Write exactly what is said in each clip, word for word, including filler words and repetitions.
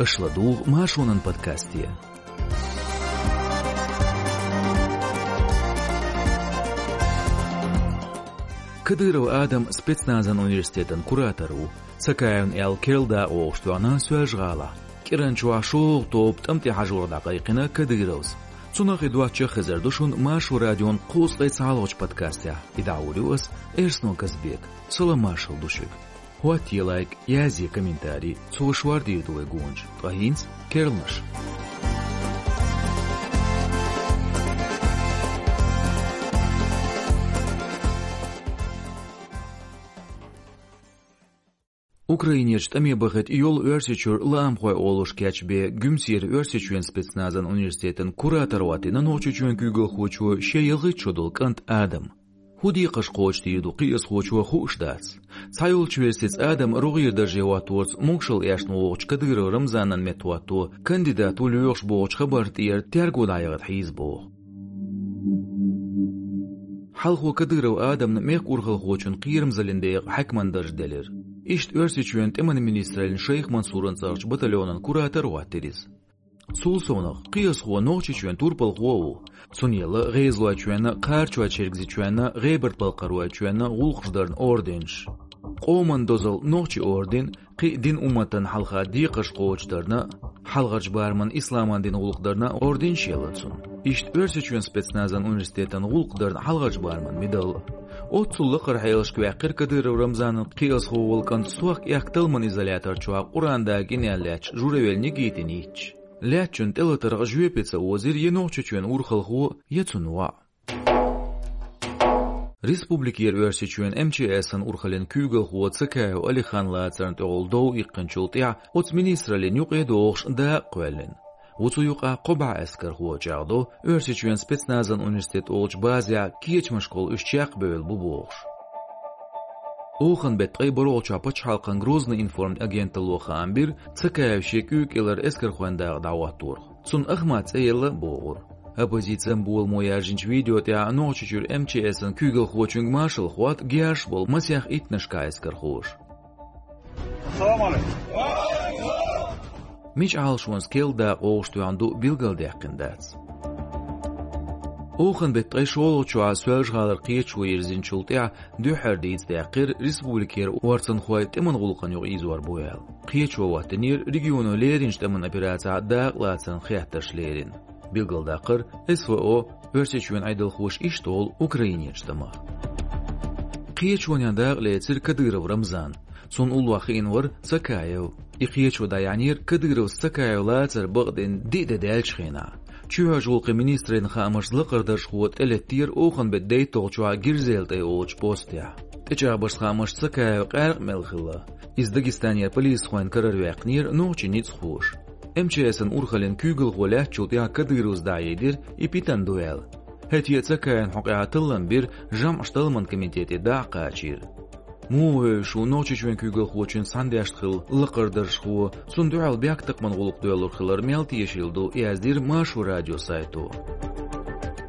Аша ладугӀу Маршонан подкасте. Кадыров Адам спецназан университетан куратор ву. Цакаевн аьлла керла дакъа вовшахтоьхна Соьлжа-ГӀалахь. КӀиранчохь шолгӀа тоба тӀам тӀе хьажорах дӀакхайкхина Кадыровс. Цунах и доцчух хезар ду шуна Маршо радион кхузткъе цхьалгӀачу подкастехь. И дӀахьур ю ас, Эрсно Казбек. Салам-маршалла ду шуьга. ХӀоттае лайк, язъе комментарий, цо шордийр ду вай гонаш, ткъа хӀинца керланаш. Украинерчу тӀаме бахийта йолу Оьрсийчуьра лаамхой олуш кечбен Гуьмсера Оьрсийчоьнан спецназан университетан куратор хӀоттийна Нохчийчоьнан куьйгалхочо шен ялхитта шо долу кӀант Адам. ХӀун декхарш кхочушдийр ду кхиазхочо хууш дац. Цхьайолчу версица Адам рогӀера дарже хӀотторца могушалла эшна вогӀучу Кадыров Рамзанан меттахӀотто кандидат ву лоьхуш бохучу хабарна тӀера терго дӀаяхийта хьийза боху. Хьалхо Кадыров Адамна мехкан урхалхочун кхерамзаллин декъа хьаькаман дарж делира. Иштта Оьрсийчоьнан тӀеман министраллин Шайх Мансуран цӀарахчу батальонан куратор хӀоттийра иза. Цул совнах, кхиазхо Нохчийчоьнан турпалхо а ву. Цунна елла ГӀезалойчоьнан, Кхарачой-Чергазийчоьнан, ГӀебарта-Балкхаройчоьнан гӀуллакхаш дарна орденаш. Къоман дозалла Нохчийн орден, кхин а дин-умматана хьалха декхарш кхочушдарна, хьалхарчу барамна исламан динан гӀуллакх дарна орденаш елла цунна. Иштта Оьрсийчоьнан спецназан университетан гӀуллакх дарна хьалхарчу барамна медал а. Оццул лакхара хьелашка ваьккхира Кадыров Рамзанан кхиазхо волу кӀант сохка-аьхка талламан изолятор чохь Къуръан дакъа гина аьлла лаьтташ Журавель Никитина йитча. Лаьттачун тӀелатарх жоьпе ца озийра я Нохчийчоьнан урхалхо, я цуьнан воӀ. Республикера Оьрсийчоьнан М Ч С-ан урхаллин куьйгалхо Цакаев Алихан лацарна тӀехула дов иккхинчул тӀаьхьа оцу министраллин юкъе догӀуш дакъа кхоьллина. Ву цу юкъахь кхо бӀе эскархо чӀагӀдо, Оьрсийчоьнан спецназан университет олучу базехь кечамашкахула уьш чекхбевлла бу бохуш. Охан беттан ткъе бархӀалгӀачохь пачхьалкхан Грозный информ агенталло хаам бира Цакаев шен куьйга кӀелара эскархойн дакъа дӀахӀотторах. Цунна Ахмат цӀе елла а бохура. Оппозицин боламо яьржинчу видео тӀехь Нохчийчуьра М Ч С-ан куьйгалхочуьнга маршалла хӀотта герзаш болу масех иттаннашкахь эскархоша. Салам алейкум. Мича Ӏалашонца керла дакъа вовшахтоьхна ду билгалдаьккхина дац. Охан беттан ткъе шолгӀачохь Соьлжа-ГӀалара кхеташо йирзинчул тӀаьхьа дуьххьара дийца даьккхира республикера орцанхой тӀеман гӀуллакхана юкъа ийзор бу аьлла. Кхеташо хӀоттийнера регионо леринчу тӀеман операцехь дакъалацарна хеттарш лерина. Билгалдаккхара, С В О, Оьрсийчоьнан Ӏедалхоша иштта олу Украинерчу тӀамах. Кхеташонехь дакъа лецира Кадыров Рамзан. Цунна уллохь хиъна вара Цакаев. И кхеташо дӀаяьхьнера Кадыровс Цакаев лацар бакъдина диъ де даьллачу хенахь. Чоьхьарчу гӀуллакхийн министраллин хаамашца лакхара даржхо тӀелеттера охан беттан дейтталгӀачохь Гирзел тӀе олучу постехь. ТӀечӀагӀбаршца хаамашца Цакаев къаьркъа мел хилла. Иза Дагестанера полисхойн карара ваьккхинера нохчийн ницкъахоша. М Ч С-ан урхаллин куьйгалхо лаьттачул тӀаьхьа Кадыровс дӀахьедира, и питана ду аьлла. ХӀетте а Цакаевн хьокъехь таллам бира, жамӀаш талламан комитете дӀа а кхачийра. Муха вевзаш ву Нохчийчоьнан куьйгалхочуьнца цхьаьна дешна хилла лакхара даржхо, цунна дуьхьал бехктакхаман гӀуллакх доьллур хилар мел тешийла ду, яздира Маршо радион сайто.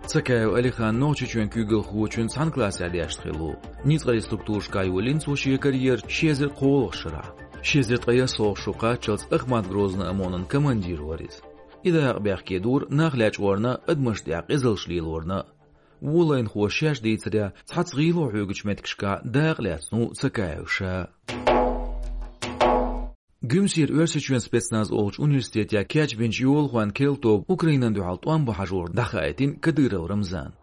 Цакаев Алихан Нохчийчоьнан куьйгалхочуьнца цхьана классехь дешна хилла ву. Ницкъаллин структурашкахь йолийна цо шен карьера ши эзар кхоалгӀачу шарахь. Ши эзар ткъе ялхалгӀачу шо кхаччалц Ахмат-Грозный ОМОН-ан командир вара иза. И дакъа бехке дора нах лечкъорна, адамашна тӀехь къизаллаш лелорна. Вон лайнахоша шаьш дийцарехь, цхьацца гӀийла хьоьгучу меттигашкахь дакъа лаьцна ву Цакаев ша. Гуьмсера Оьрсийчоьнан спецназ олучу университетехь кечбинчу йолахойн керла тоба Украинан дуьхьал тӀом бан хьажорах дӀахаийтина Кадыров Рамзана.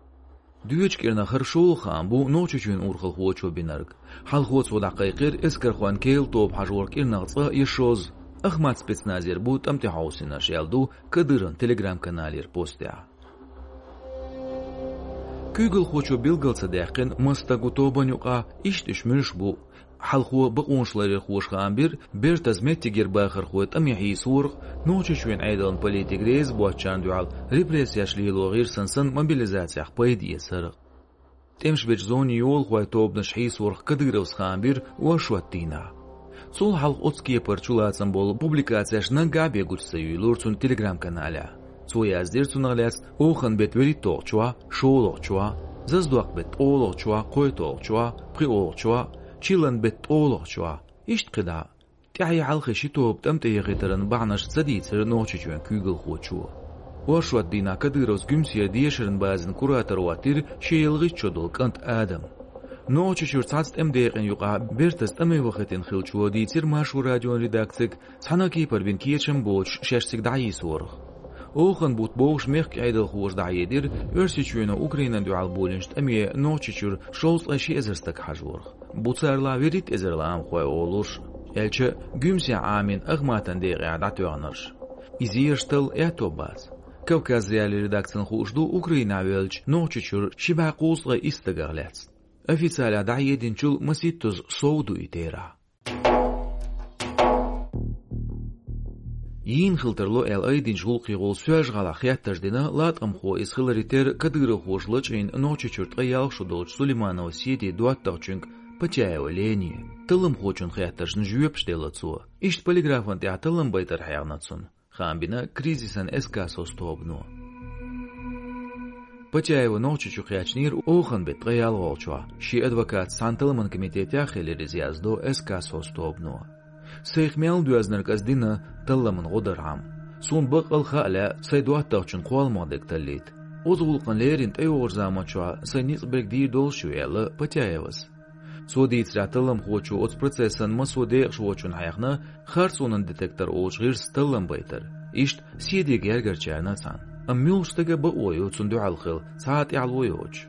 Доьчу кӀирнах хӀара шолгӀа хаам бу Нохчийчоьнан урхалхочо бинарг. Хьалхо цо дӀакхайкхира эскархойн керла тоба хьажорах кӀирнах цкъа я шозза. Ахмат спецназера бу тӀам тӀе хьовсийнарш, аьлла ду Кадыровн Telegram-каналера постехь. Куьйгалхочо билгал ца даьккхина, маса стаг ву тобанна юкъахь, иштта уьш муьлш бу. Хьалхо бакъонаш ларъярхоша хаам бира, бертаза меттигера бахархой тӀаме хьийсорах, Нохчийчоьнан Ӏедалан политика реза боцучарна дуьхьал репрессеш лело гӀирсана санна мобилизацех пайда эцарах. ТӀемаш бечу зонийн йолахойн тобанаш хьийсорах Кадыровс хаам бира оршот дийнахь. Цул хьалха оцу кепара чулацам болу публикацеш наггахь бен гучу ца юьйлура цуьнан Telegram-каналехь. Цо яздира цунах лаьцна охан беттан вуьрхӀитталгӀачохь, шолгӀачохь, заздоккху беттан ткъолгӀачохь, кхойтталгӀачохь, пхоьалгӀачохь, чиллан беттан ткъолгӀачохь, иштта кхидӀа а. ТӀаьхье хьалхе ши тоба тӀам тӀе яхийтаран бахьанаш ца дийцира Нохчийчоьнан куьйгалхочо. Оршот дийнахь Кадыровс Гуьмсера дешаран базин куратор хӀоттийра шен ялхитта шо долу кӀант Адам. Нохчийчуьра цхьацца тӀеман декъана юкъахь бертаза тӀаме вахийтина хиллачо дийцира Маршо радион редакцига, цхьана а кепара бина кечам боцуш шаьш цига дӀахьийсорах. Оханан бутт бовхаш мехкан Ӏедалхоша дӀахьедира Оьрсийчоьно Украинана дуьхьал болийначу тӀаме Нохчийчуьра шовзткъе ши эзар стаг хьажорах. Бу царалахь вуьрхӀитта эзар лаамхой олуш, аьлча а Гуьмсехь Ӏамийна Ахматан декъехь дӀатоьхнарш. Иза еш талла аьтто бац. Кавказ.Реалии редакцина хууш ду Украинахь веллачу Нохчийчуьра ши бӀе кхузткъе исс стагах лаьцна. Официалехь дӀахьединчул масийттаза сов ду и терахь. Йийна хила тарло аьлла айдинчу гӀуллакхехула Соьлжа-ГӀалахь хеттарш дина латкъамхо иза хиларе терра кадыровхоша лачкъийна Нохчийчуьра ткъе ялх шо долчу Сулейманова Седи доттагӀчуьнга Потяева Лене. Талламхочун хеттаршна жоьпаш делла цо. Иштта полиграфан тӀехь таллам байтар хьехна цунна. Хаам бина кризисан СКСОС тобано. Потяева Нохчийчу кхаьчнера оханан беттан ткъе ялхолгӀачохь. Шен адвокатца цхьана талламан комитетехь хилира иза, яздо СКСОС тобано. Сайх мел доьзнарг ас дина талламан гӀо дархьама. Суна баккъал а хаа лаьа сайн доттагӀчун кхолламах дерг таллийта. Оцу гӀуллакхана леррина тӀейогӀучу заманчохь сайн ницкъ берг дийр долуш ю, аьлла Потяевас. Цо дийцарехь, талламхочо оцу процессан массо а декъашхочунна хьехна харцонан детектор олучу гӀирсаца таллам байтар. Иштта Седин гергарчарна а цхьаьна. Амма муьлхачу стага бакъо ю цунна дуьхьал хила, цхьа а тӀаьхьало йоцуш.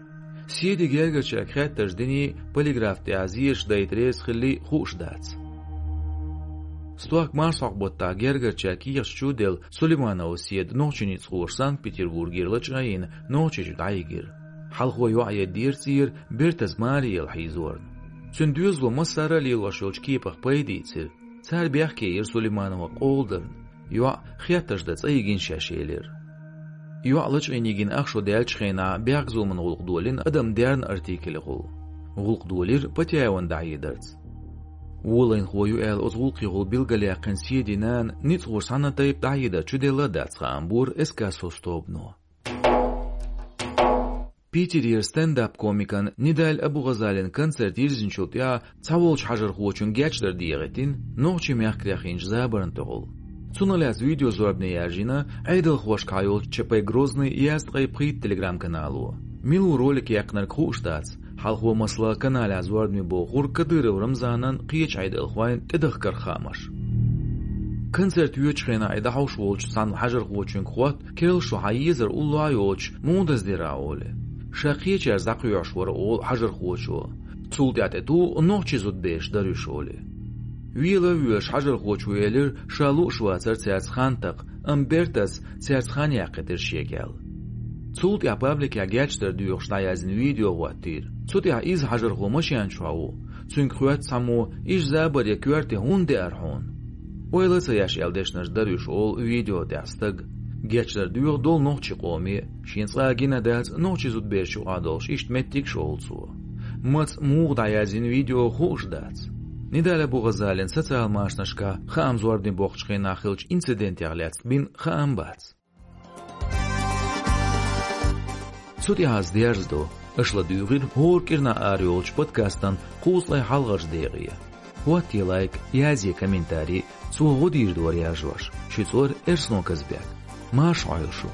Седин гергарчаьрга хеттарш диний, полиграф тӀехь зераш дайта реза хиллий хууш дац. Стохка марсхьокху баттахь гергарчаьрга кехаташ чу а делла, Сулейманова Седа нохчийн ницкъахоша Санкт-Петербургера лачкъийна Нохчийчу дӀайигира. Хьалхо йоӀ еддера цӀера, бертаза маре яла хьийзорна. Цуьнан доьзало массара а лелош йолчу кепах пайда ийцира. Цара бехке йира Сулейманова къола дарна. ЙоӀ хеттарш дан цӀа йигина шаьш, элира. ЙоӀ лачкъийна йигина ах шо даьллачу хенахь бехказуламан гӀуллакх долийна адам дерна артикелехула. ГӀуллакх долийра Потяевна дӀахьедарца. Волайнахо ю аьлла оцу гӀуллакхехула билгалъяьккхина Седин нана ницкъахоша цхьана а тайпа дӀахьедар чуделла а дац, хаам бора СКСОС тобано. Питерера стендап-комикан Нидаль Абугъазалин концерт йирзинчул тӀаьхьа цхьаволчу хьажархочун гечдар дехийтина нохчийн мехкарех йинчу забарна тӀехула. Цунах лаьцна видеозорбане яржийна Ӏедалхошкахьа йолчу ЧП Грозный язткъе пхийтта телеграм-канало. Мила ву ролик яьккхинарг хууш дац, хьалхо, масала, каналехь зорбане бохура Кадыров Рамзанан, кхечу Ӏедалхойн тӀедахкарх хаамаш. Концерт йоьдучу хенахь и дӀахьош волчу цхьана хьажархочуьнга хотту керла шо хьан езар уллохь а йоцуш муха даздира, олий. Ша кхечаьрца дӀакхоьхьуш вара, олу хьажархочо. Цул тӀаьхьа тӀе туху нохчийн зудабераш дара уьш, олий. Вела а воьлуш хьажархочо элира, ша лууш вацара цаьрца хан такха, амма бертаза цаьрца хан яккхийтира шега аьлла. Цул тӀаьхьа пабликехь гечдар доьхуш дӀаяздина видео хӀоттийра. Цу тӀехь иза хьажархо машен чохь ву. Цуьнга хоьтту цхьаммо: «Иза забар я коьрте хӀунда деара хьуна?» «Ойла а ца еш аьлла дешнаш дара уьш», — олу видео тӀехь стага. Гечдар доьху долу нохчийн къоме, шена цкъа а гина дац нохчийн зудабераш юкъахь долуш иштта меттигаш, олу цо. Маца, муха дӀаяздина видео хууш дац. Нидаль Абугъазалин социал-машанашкахь хаам зорбане боккхучу хенахь хиллачу инцидентех лаьцна бина хаам бац. Цу тӀехь ас дерзадо. Аша ладуьйгӀира хӀора кӀирнахь арайолчу подкастан кхузткъе хьалхарчу декъе. ХӀоттае лайк, язъе комментарий, цо гӀо дийр дара яржош. Шуьца вара Эрсно Казбек. Марша Ӏойла шу.